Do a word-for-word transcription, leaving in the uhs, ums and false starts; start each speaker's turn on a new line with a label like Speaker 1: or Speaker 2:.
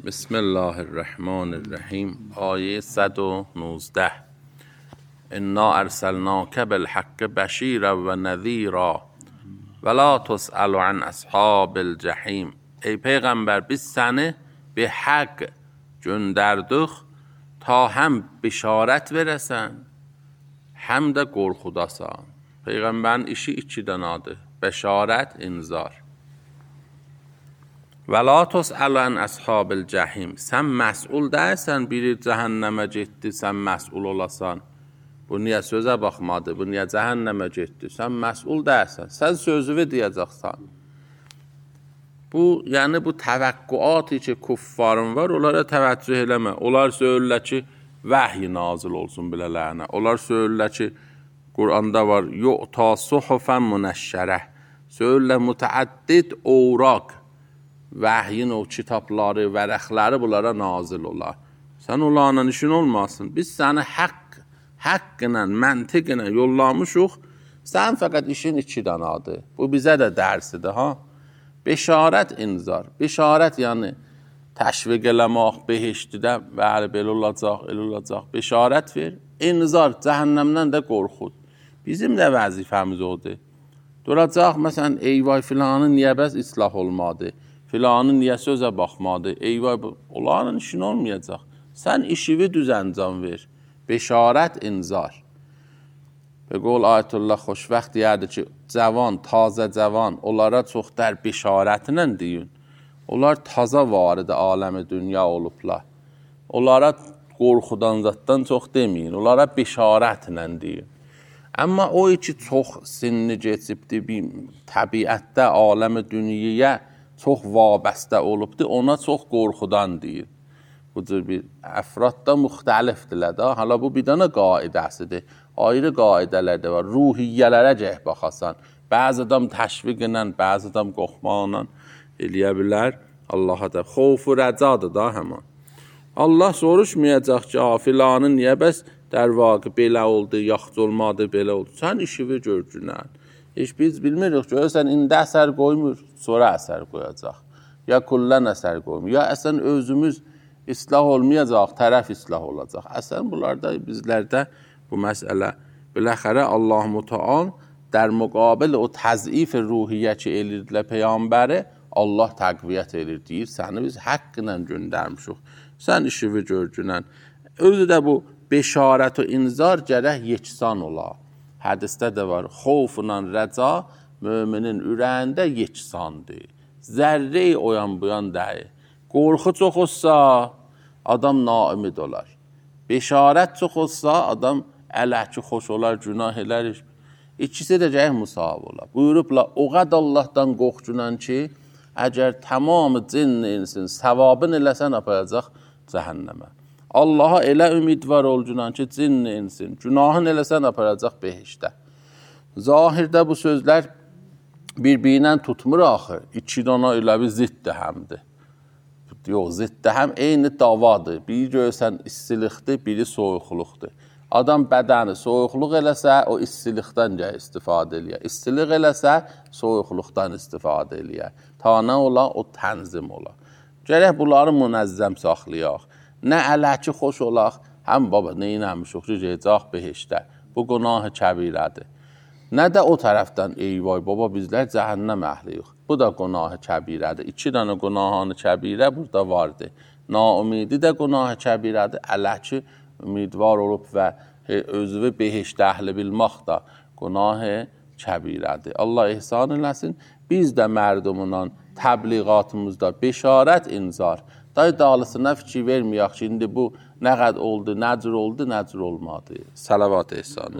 Speaker 1: بسم الله الرحمن الرحیم. آیه صد و نوزده. انا ارسلناک بالحق بشیرا و نذیرا ولا تسأل عن اصحاب الجحیم. ای پیغمبر biz səni به حق göndərdik ta həm bişarət verəsən, həm də qorxudasan. Peyğəmbərin işi iki dənədir: bəşarət, inzar. Və la tus'alu an ashabil cəhim. Sən məsul deyilsən, biri cəhənnəmə getdi, sən məsul olasan. Bu niyə sözə baxmadı, bu niyə cəhənnəmə getdi? Sən məsul deyilsən, sən sözünü deyəcəksən. Bu, yəni bu təvəqqüatı ki, kuffarın var, onlara təvəccüh eləmə. Onlar söylürlər ki, vəhy nazil olsun bilələrinə. Onlar söylürlər ki, Quranda var, yu'ta suhufən munəşşərəh. Söylürlər mütəəddid ovraq. Vəhyin o kitabları, vərəqləri bunlara nazil olar. Sən onlarla işin olmasın. Biz səni haqq, haqqla, məntiqlə yollamışıq. Sən fəqət işin iki danadır. Bu bizə də dərsidir, ha? Beşarət, inzar. Beşarət yəni təşviq eləmək, behiştidə, bəli, belə olacaq, elə olacaq. Beşarət ver. İnzar, cəhənnəmdən də qorxud. Bizim də vəzifəmiz odur. Duracaq, məsələn, eyvay filanın niyə bəs islah olmadı? Filanın niyə sözə baxmadı? Eyvay, onların işin olmayacaq. Sən işivi düzəncam ver. Beşarət, inzar. Və qol Ayətullah Xoşvəxt deyərdi ki, cavan, tazə cavan, onlara çox dər beşarətlə deyin. Onlar taza varıdı aləmi dünya olublar. Onlara qorxudan zatdan çox deməyin. Onlara beşarətlə deyin. Amma o ki, çox sinni geçibdi, bir təbiətdə, aləmi dünyaya çox vabəstə olubdur, ona çox qorxudan deyir. Bu cür bir əfradda müxtəlifdirlər də. Hala bu bir dənə qaidəsidir. Ayrı qaidələr də var. Ruhiyyələrə cəh baxasan. Bəzi adam təşviqlə, bəzi adam qorxmaqla eləyə bilər. Allaha da xofu rəcadır da həman. Allah soruşmayacaq ki, filanın niyə bəs در واقع belə oldu, yaxşı olmadı, belə oldu. Sən işivi görcünən. Heç biz bilmirik, görürsən, indi əsər qoymur, sonra əsər qoyacaq. Ya kullən əsər qoymur, ya əsən özümüz islah olmayacaq, tərəf islah olacaq. Əsən bunlarda, bizlərdə bu məsələ. Biləxərə Allah-u Teala در مقابل o təzif ruhiyyə ki, elirdilər Peyğəmbəri, Allah təqviyyət elir, deyir, səni biz haqqla göndərmişik. Sən işivi görcünən. Özü də bu beşarət və inzar gərək yeksan ola. Hədisdə də var, xofla rəca müminin ürəyində yeksandır. Zərrəyi oyan buyan deyil. Qorxu çox olsa, adam naümid olar. Beşarət çox olsa, adam ələhki xoş olar, günah elər. İkisi də gərək musab olar. Buyurublar, o qəd Allahdan qorxcunan ki, əgər tamamı cin insin, savabın eləsən apayacaq cəhənnəmə. Allaha elə ümidvar olcunan ki, cin insin, günahın eləsən aparacaq behişdə. Zahirdə bu sözlər bir-birinə tutmur axı. İki dana elə bir ziddir həmdir. Yox, ziddir həm eyni davadır. Biri görsən istilikdir, biri soyuqluqdur. Adam bədəni soyuqluq eləsə, o istilikdən gəl istifadə eləyər. İstilik eləsə, soyuqluqdan istifadə eləyər. Ta nə ola, o tənzim ola. Gərək bunları münəzzəm saxlayaq. Nə ələki xoş olaq, həm baba neynəmişik, ricəcaq behişdə. Bu günah-ı kəbirədir. Nə də o tərəfdən, eyvay baba bizlər cəhənnəm əhliyik. Bu da günah-ı kəbirədir. İki dənə günah-ı kəbirə burada vardır. Naümidi də günah-ı kəbirədir. Ələki ümidvar olub və özünü behişdə əhli bilmək da günah-ı kəbirədir. Allah ihsan eləsin. Biz də mərdumla təbliğatımızda beşarət, inzar. Day dağlısına fikir verməyək ki, indi bu nə qəd oldu, nə cür oldu, nə cür olmadı. Salavat ehsan.